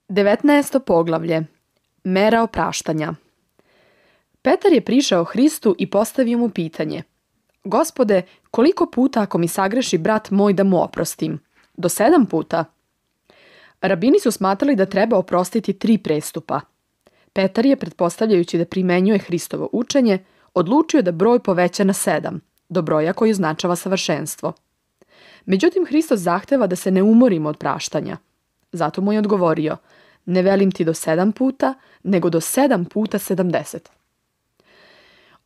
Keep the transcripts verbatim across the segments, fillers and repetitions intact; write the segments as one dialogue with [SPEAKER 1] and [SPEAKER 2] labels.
[SPEAKER 1] devetnaesto poglavlje. Mera opraštanja. Petar je prišao Hristu i postavio mu pitanje. Gospode, koliko puta ako mi sagreši brat moj da mu oprostim? Do sedam puta? Rabini su smatrali da treba oprostiti tri prestupa. Petar je, pretpostavljajući da primenjuje Hristovo učenje, odlučio da broj poveća na sedam, do broja koji označava savršenstvo. Međutim, Hristos zahteva da se ne umorimo od praštanja. Zato mu je odgovorio, ne velim ti do sedam puta, nego do sedam puta sedamdeset.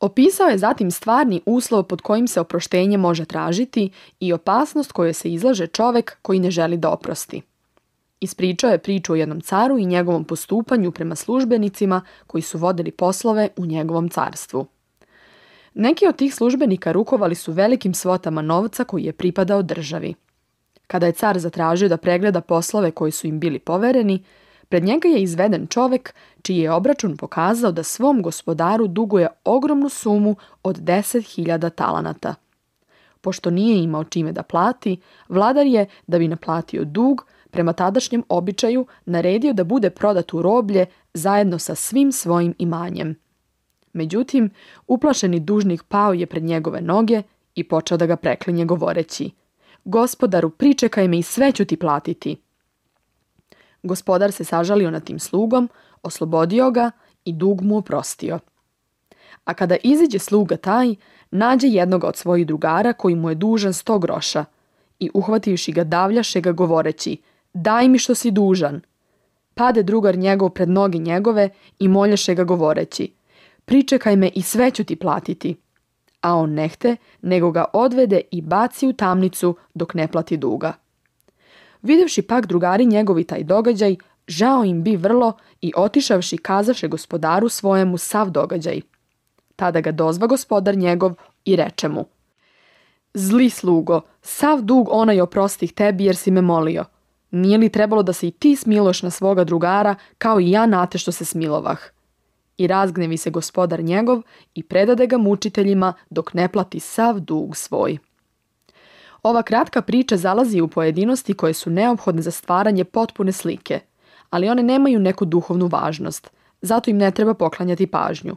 [SPEAKER 1] Opisao je zatim stvarni uslov pod kojim se oproštenje može tražiti i opasnost kojoj se izlaže čovek koji ne želi da oprosti. Ispričao je priču o jednom caru i njegovom postupanju prema službenicima koji su vodili poslove u njegovom carstvu. Neki od tih službenika rukovali su velikim svotama novca koji je pripadao državi. Kada je car zatražio da pregleda poslove koji su im bili povereni, pred njega je izveden čovek čiji je obračun pokazao da svom gospodaru duguje ogromnu sumu od deset hiljada talanata. Pošto nije imao čime da plati, vladar je, da bi naplatio dug, prema tadašnjem običaju naredio da bude prodat u roblje zajedno sa svim svojim imanjem. Međutim, uplašeni dužnik pao je pred njegove noge i počeo da ga preklinje govoreći: Gospodaru, pričekaj me i sve ću ti platiti. Gospodar se sažalio nad tim slugom, oslobodio ga i dug mu oprostio. A kada iziđe sluga taj, nađe jednog od svojih drugara koji mu je dužan sto groša i uhvativši ga davljaše ga govoreći: daj mi što si dužan. Pade drugar njegov pred noge njegove i moljaše ga govoreći: pričekaj me i sve ću ti platiti. A on nehte, nego ga odvede i baci u tamnicu dok ne plati duga. Videvši pak drugari njegovi taj događaj, žao im bi vrlo i otišavši kazaše gospodaru svojemu sav događaj. Tada ga dozva gospodar njegov i reče mu: zli slugo, sav dug onaj oprostih tebi jer si me molio. Nije li trebalo da se i ti smiloš na svoga drugara kao i ja na te što se smilovah? I razgnevi se gospodar njegov i predade ga mučiteljima dok ne plati sav dug svoj. Ova kratka priča zalazi u pojedinosti koje su neophodne za stvaranje potpune slike, ali one nemaju neku duhovnu važnost, zato im ne treba poklanjati pažnju.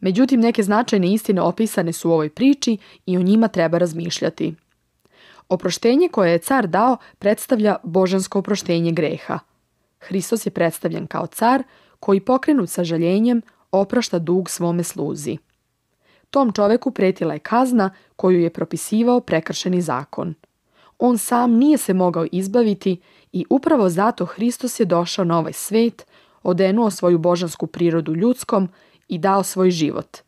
[SPEAKER 1] Međutim, neke značajne istine opisane su u ovoj priči i o njima treba razmišljati. Oproštenje koje je car dao predstavlja božansko oproštenje greha. Hristos je predstavljen kao car koji pokrenut sa žaljenjem oprašta dug svome sluzi. Tom čoveku pretila je kazna koju je propisivao prekršeni zakon. On sam nije se mogao izbaviti i upravo zato Hristos je došao na ovaj svet, odenuo svoju božansku prirodu ljudskom i dao svoj život,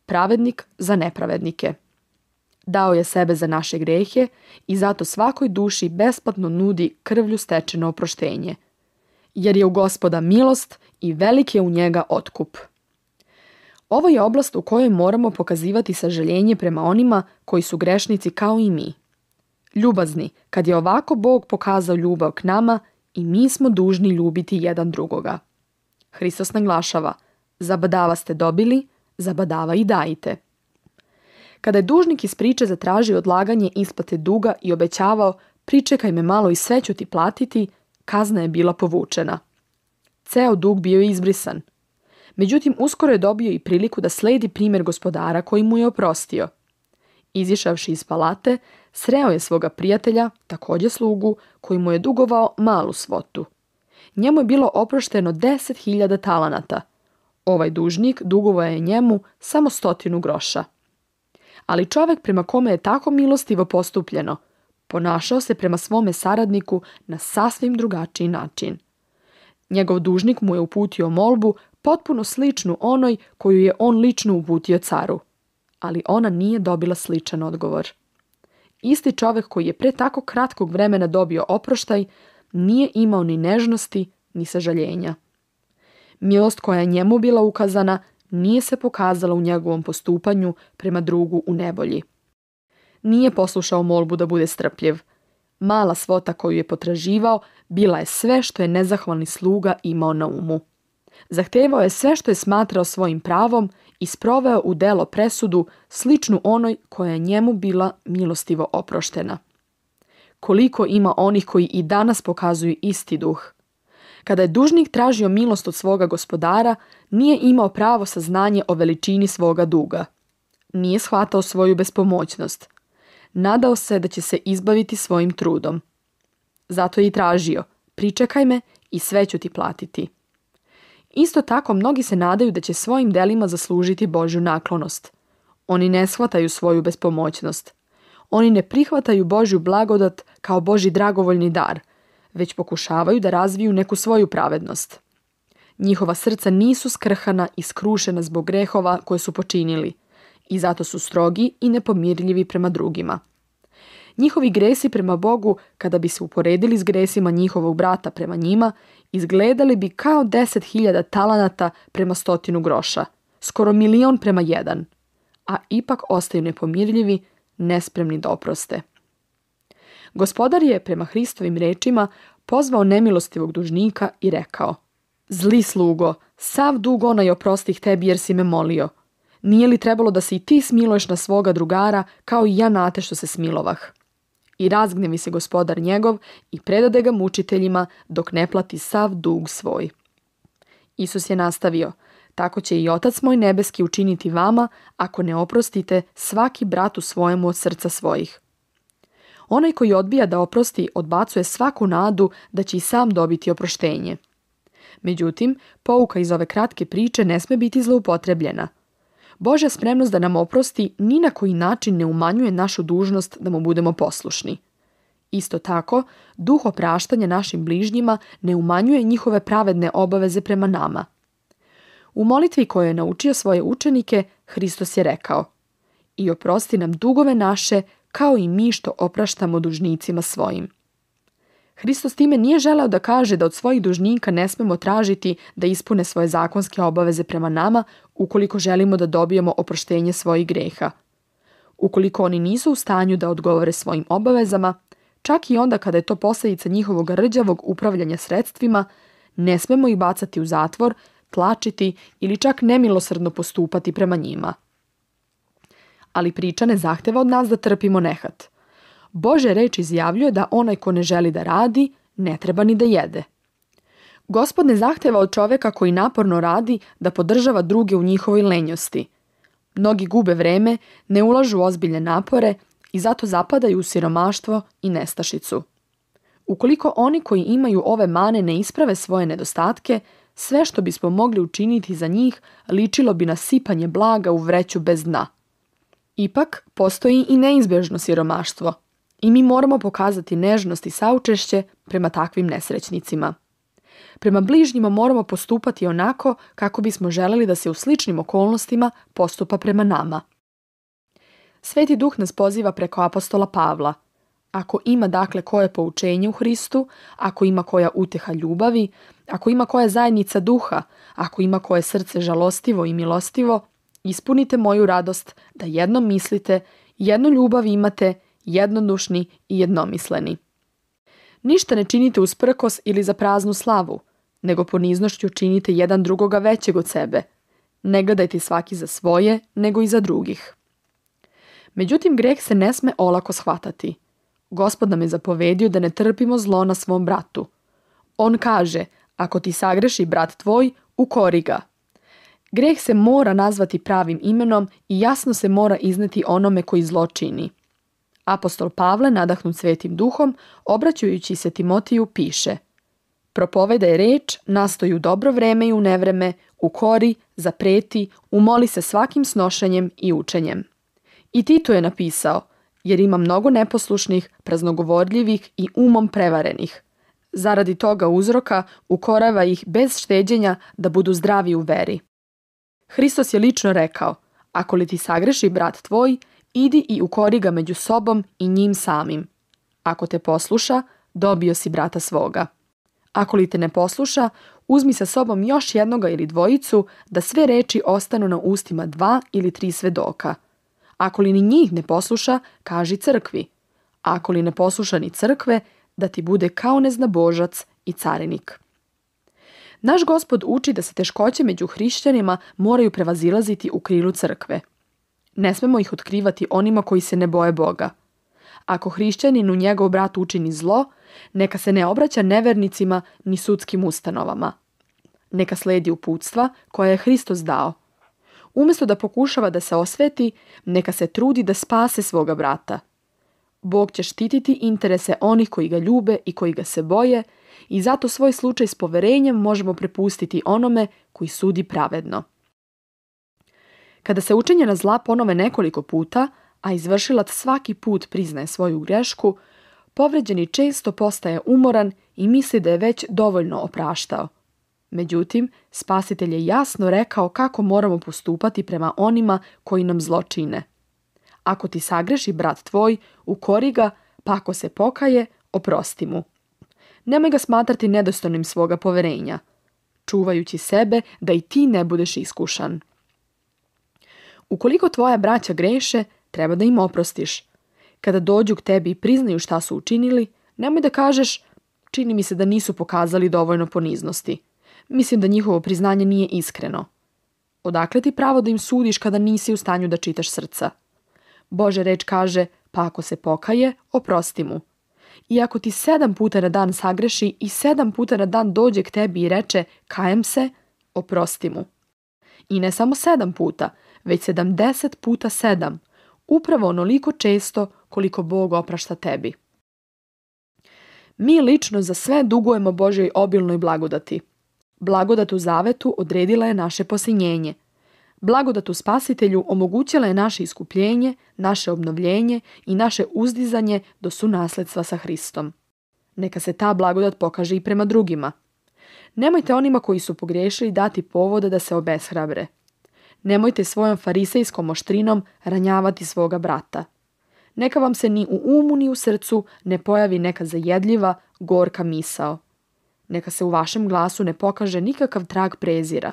[SPEAKER 1] pravednik za nepravednike. Dao je sebe za naše grehe i zato svakoj duši besplatno nudi krvlju stečeno oproštenje, jer je u Gospoda milost i velik je u njega otkup. Ovo je oblast u kojoj moramo pokazivati sažaljenje prema onima koji su grešnici kao i mi. Ljubazni, kad je ovako Bog pokazao ljubav k nama, i mi smo dužni ljubiti jedan drugoga. Hristos naglašava: zabadava ste dobili, zabadava i dajte. Kada je dužnik iz priče zatražio odlaganje isplate duga i obećavao: pričekaj me malo i sve ću ti platiti, kazna je bila povučena. Ceo dug bio je izbrisan. Međutim, uskoro je dobio i priliku da sledi primjer gospodara koji mu je oprostio. Izišavši iz palate, sreo je svoga prijatelja, također slugu, koji mu je dugovao malu svotu. Njemu je bilo oprošteno deset hiljada talanata. Ovaj dužnik dugovao je njemu samo stotinu groša. Ali čovjek prema kome je tako milostivo postupljeno, ponašao se prema svome saradniku na sasvim drugačiji način. Njegov dužnik mu je uputio molbu potpuno sličnu onoj koju je on lično uputio caru, ali ona nije dobila sličan odgovor. Isti čovjek koji je pre tako kratkog vremena dobio oproštaj, nije imao ni nežnosti, ni sažaljenja. Milost koja je njemu bila ukazana nije se pokazala u njegovom postupanju prema drugu u nevolji. Nije poslušao molbu da bude strpljiv. Mala svota koju je potraživao bila je sve što je nezahvalni sluga imao na umu. Zahtevao je sve što je smatrao svojim pravom i sproveo u delo presudu sličnu onoj koja je njemu bila milostivo oproštena. Koliko ima onih koji i danas pokazuju isti duh. Kada je dužnik tražio milost od svoga gospodara, nije imao pravo saznanje o veličini svoga duga. Nije shvatao svoju bespomoćnost. Nadao se da će se izbaviti svojim trudom. Zato je i tražio, pričekaj me i sve ću ti platiti. Isto tako mnogi se nadaju da će svojim delima zaslužiti Božju naklonost. Oni ne shvataju svoju bespomoćnost. Oni ne prihvataju Božju blagodat kao Božji dragovoljni dar, već pokušavaju da razviju neku svoju pravednost. Njihova srca nisu skrhana i skrušena zbog grehova koje su počinili i zato su strogi i nepomirljivi prema drugima. Njihovi gresi prema Bogu, kada bi se uporedili s gresima njihovog brata prema njima, izgledali bi kao deset hiljada talanata prema stotinu groša, skoro milion prema jedan, a ipak ostaju nepomirljivi, nespremni da oproste. Gospodar je, prema Hristovim rečima, pozvao nemilostivog dužnika i rekao: Zli slugo, sav dug onaj oprostih tebi jer si me molio. Nije li trebalo da se i ti smiluješ na svoga drugara kao i ja na te što se smilovah? I razgnevi se gospodar njegov i predade ga mučiteljima dok ne plati sav dug svoj. Isus je nastavio: Tako će i Otac moj nebeski učiniti vama ako ne oprostite svaki bratu svojemu od srca svojih. Onaj koji odbija da oprosti odbacuje svaku nadu da će i sam dobiti oproštenje. Međutim, pouka iz ove kratke priče ne sme biti zloupotrebljena. Božja spremnost da nam oprosti ni na koji način ne umanjuje našu dužnost da mu budemo poslušni. Isto tako, duh opraštanja našim bližnjima ne umanjuje njihove pravedne obaveze prema nama. U molitvi koju je naučio svoje učenike, Hristos je rekao: I oprosti nam dugove naše, kao i mi što opraštamo dužnicima svojim. Hristos time nije želeo da kaže da od svojih dužnika ne smemo tražiti da ispune svoje zakonske obaveze prema nama ukoliko želimo da dobijemo oproštenje svojih greha. Ukoliko oni nisu u stanju da odgovore svojim obavezama, čak i onda kada je to posljedica njihovog rđavog upravljanja sredstvima, ne smemo ih bacati u zatvor, tlačiti ili čak nemilosrdno postupati prema njima. Ali priča ne zahteva od nas da trpimo nehat. Božja reč izjavljuje da onaj ko ne želi da radi, ne treba ni da jede. Gospod ne zahteva od čoveka koji naporno radi da podržava druge u njihovoj lenjosti. Mnogi gube vreme, ne ulažu ozbiljne napore i zato zapadaju u siromaštvo i nestašicu. Ukoliko oni koji imaju ove mane ne isprave svoje nedostatke, sve što bismo mogli učiniti za njih ličilo bi na sipanje blaga u vreću bez dna. Ipak, postoji i neizbježno siromaštvo i mi moramo pokazati nežnost i saučešće prema takvim nesrećnicima. Prema bližnjima moramo postupati onako kako bismo želeli da se u sličnim okolnostima postupa prema nama. Sveti Duh nas poziva preko apostola Pavla. Ako ima dakle koje poučenje u Hristu, ako ima koja uteha ljubavi, ako ima koja zajednica duha, ako ima koje srce žalostivo i milostivo, ispunite moju radost da jedno mislite, jednu ljubav imate, jednodušni i jednomisleni. Ništa ne činite usprkos ili za praznu slavu, nego poniznošću činite jedan drugoga većeg od sebe. Ne gledajte svaki za svoje, nego i za drugih. Međutim, greh se ne sme olako shvatati. Gospod nam je zapovedio da ne trpimo zlo na svom bratu. On kaže: ako ti sagreši brat tvoj, ukori ga. Greh se mora nazvati pravim imenom i jasno se mora izneti onome koji zlo čini. Apostol Pavle, nadahnut Svetim Duhom, obraćajući se Timotiju, piše: propovedaj reč, nastoj u dobro vreme i u nevreme, ukori, zapreti, umoli se svakim snošenjem i učenjem. I Tito je napisao: jer ima mnogo neposlušnih, praznogovorljivih i umom prevarenih. Zaradi toga uzroka ukorava ih bez šteđenja da budu zdravi u veri. Hristos je lično rekao: ako li ti sagreši brat tvoj, idi i ukori ga među sobom i njim samim. Ako te posluša, dobio si brata svoga. Ako li te ne posluša, uzmi sa sobom još jednoga ili dvojicu, da sve reči ostanu na ustima dva ili tri svedoka. Ako li ni njih ne posluša, kaži crkvi. Ako li ne posluša ni crkve, da ti bude kao neznabožac i carinik. Naš Gospod uči da se teškoće među hrišćanima moraju prevazilaziti u krilu crkve. Ne smemo ih otkrivati onima koji se ne boje Boga. Ako hrišćaninu njegov brat učini zlo, Neka se ne obraća nevernicima ni sudskim ustanovama. Neka slijedi uputstva koja je Hristos dao. Umjesto da pokušava da se osveti, neka se trudi da spase svoga brata. Bog će štititi interese onih koji ga ljube i koji ga se boje i zato svoj slučaj s poverenjem možemo prepustiti onome koji sudi pravedno. Kada se učinjena zla ponove nekoliko puta, a izvršilac svaki put priznaje svoju grešku, povređeni često postaje umoran i misli da je već dovoljno opraštao. Međutim, Spasitelj je jasno rekao kako moramo postupati prema onima koji nam zlo čine. Ako ti sagreši brat tvoj, ukori ga, pa ako se pokaje, oprosti mu. Nemoj ga smatrati nedostojnim svoga poverenja, čuvajući sebe da i ti ne budeš iskušan. Ukoliko tvoja braća greše, treba da im oprostiš. Kada dođu k tebi i priznaju šta su učinili, nemoj da kažeš, čini mi se da nisu pokazali dovoljno poniznosti. Mislim da njihovo priznanje nije iskreno. Odakle ti pravo da im sudiš kada nisi u stanju da čitaš srca? Božja reč kaže, pa ako se pokaje, oprosti mu. I ako ti sedam puta na dan sagreši i sedam puta na dan dođe k tebi i reče, kajem se, oprosti mu. I ne samo sedam puta, već sedamdeset puta sedam, upravo onoliko često koliko Bog oprašta tebi. Mi lično za sve dugujemo Božjoj obilnoj blagodati. Blagodat u zavetu odredila je naše posinjenje. Blagodat u Spasitelju omogućila je naše iskupljenje, naše obnovljenje i naše uzdizanje do sunasledstva sa Hristom. Neka se ta blagodat pokaže i prema drugima. Nemojte onima koji su pogriješili dati povoda da se obeshrabre. Nemojte svojom farisejskom oštrinom ranjavati svoga brata. Neka vam se ni u umu ni u srcu ne pojavi neka zajedljiva, gorka misao. Neka se u vašem glasu ne pokaže nikakav trag prezira.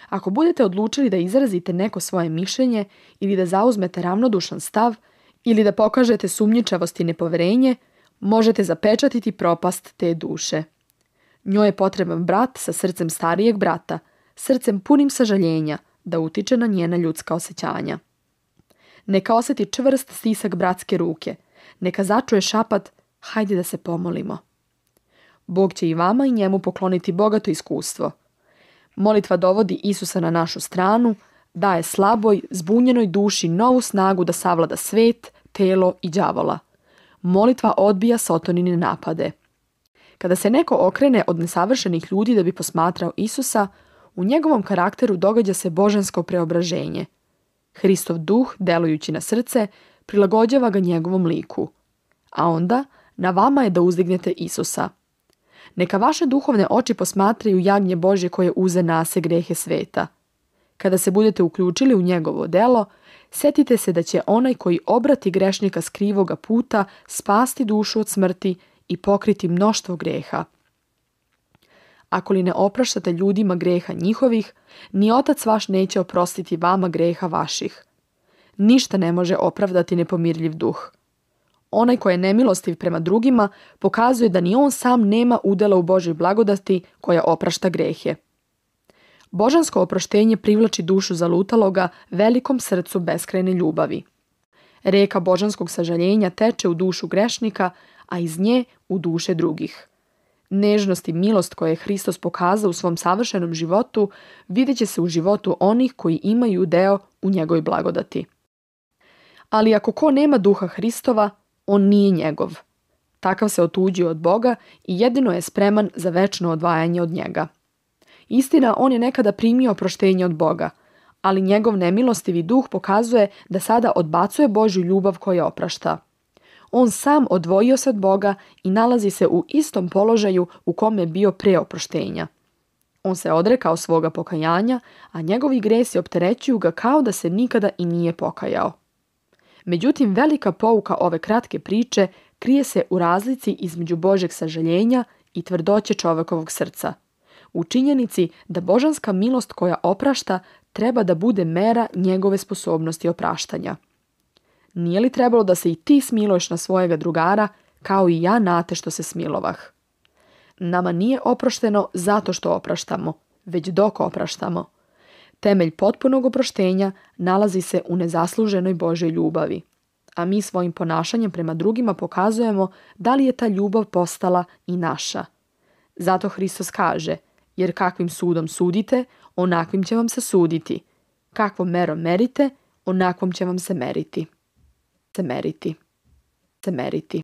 [SPEAKER 1] Ako budete odlučili da izrazite neko svoje mišljenje ili da zauzmete ravnodušan stav ili da pokažete sumnjičavost i nepoverenje, možete zapečatiti propast te duše. Njoj je potreban brat sa srcem starijeg brata, srcem punim sažaljenja, da utiče na njena ljudska osjećanja. Neka osjeti čvrst stisak bratske ruke, neka začuje šapat, hajde da se pomolimo. Bog će i vama i njemu pokloniti bogato iskustvo. Molitva dovodi Isusa na našu stranu, daje slaboj, zbunjenoj duši novu snagu da savlada svet, telo i đavola. Molitva odbija Sotonine napade. Kada se neko okrene od nesavršenih ljudi da bi posmatrao Isusa, u njegovom karakteru događa se božansko preobraženje. Hristov duh, delujući na srce, prilagođava ga njegovom liku. A onda, na vama je da uzdignete Isusa. Neka vaše duhovne oči posmatraju jagnje Božje koje uze nase grehe sveta. Kada se budete uključili u njegovo delo, setite se da će onaj koji obrati grešnika s krivoga puta spasti dušu od smrti i pokriti mnoštvo greha. Ako li ne opraštate ljudima greha njihovih, ni Otac vaš neće oprostiti vama greha vaših. Ništa ne može opravdati nepomirljiv duh. Onaj ko je nemilostiv prema drugima pokazuje da ni on sam nema udjela u Božoj blagodati koja oprašta grehe. Božansko oproštenje privlači dušu zalutaloga velikom srcu beskrajne ljubavi. Reka božanskog sažaljenja teče u dušu grešnika, a iz nje u duše drugih. Nežnost i milost koje je Hristos pokazao u svom savršenom životu vidjet će se u životu onih koji imaju deo u njegovoj blagodati. Ali ako ko nema duha Hristova, on nije njegov. Takav se otuđio od Boga i jedino je spreman za večno odvajanje od njega. Istina, on je nekada primio oproštenje od Boga, ali njegov nemilostivi duh pokazuje da sada odbacuje Božju ljubav koja oprašta. On sam odvojio se od Boga i nalazi se u istom položaju u kome je bio pre oproštenja. On se odrekao svoga pokajanja, a njegovi gresi opterećuju ga kao da se nikada i nije pokajao. Međutim, velika pouka ove kratke priče krije se u razlici između Božjeg sažaljenja i tvrdoće čovjekovog srca. U činjenici da božanska milost koja oprašta treba da bude mera njegove sposobnosti opraštanja. Nije li trebalo da se i ti smiluješ na svojega drugara, kao i ja na te što se smilovah? Nama nije oprošteno zato što opraštamo, već dok opraštamo. Temelj potpunog oproštenja nalazi se u nezasluženoj Božjoj ljubavi. a mi svojim ponašanjem prema drugima pokazujemo da li je ta ljubav postala i naša. Zato Hristos kaže, jer kakvim sudom sudite, onakvim će vam se suditi. Kakvom merom merite, onakvom će vam se meriti. Se meriti. Se meriti.